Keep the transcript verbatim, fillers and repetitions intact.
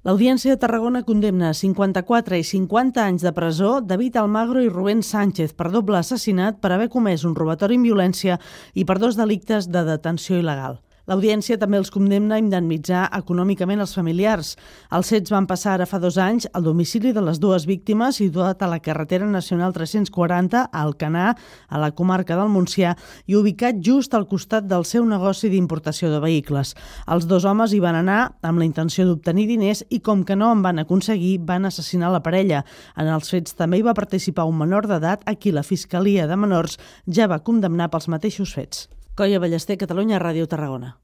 L'Audiència de Tarragona condemna a cinquanta-quatre i cinquanta anys de presó David Almagro i Rubén Sánchez per doble assassinat per haver comès un robatori amb violència i per dos delictes de detenció il·legal. L'Audiència també els condemna a indemnitzar econòmicament els familiars. Els fets van passar ara fa dos anys al domicili de les dues víctimes, situat a la carretera nacional tres-cents quaranta, a Alcanar, a la comarca del Montsià, i ubicat just al costat del seu negoci d'importació de vehicles. Els dos homes hi van anar amb la intenció d'obtenir diners i, com que no en van aconseguir, van assassinar la parella. En els fets també hi va participar un menor d'edat a qui la Fiscalia de Menors ja va condemnar pels mateixos fets. Coia Ballester, Catalunya Ràdio, Tarragona.